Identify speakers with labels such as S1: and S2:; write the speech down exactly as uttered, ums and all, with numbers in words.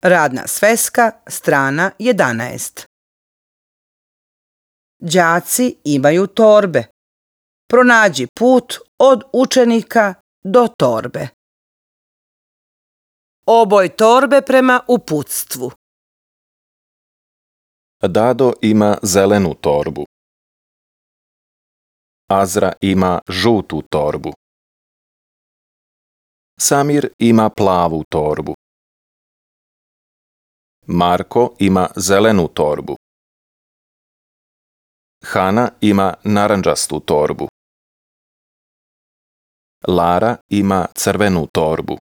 S1: Radna sveska, strana jedanaest. Đaci imaju torbe. Pronađi put od učenika do torbe. Oboj torbe prema uputstvu.
S2: Dado ima zelenu torbu. Azra ima žutu torbu. Samir ima plavu torbu. Marko ima zelenu torbu. Hana ima narandžastu torbu. Lara ima crvenu torbu.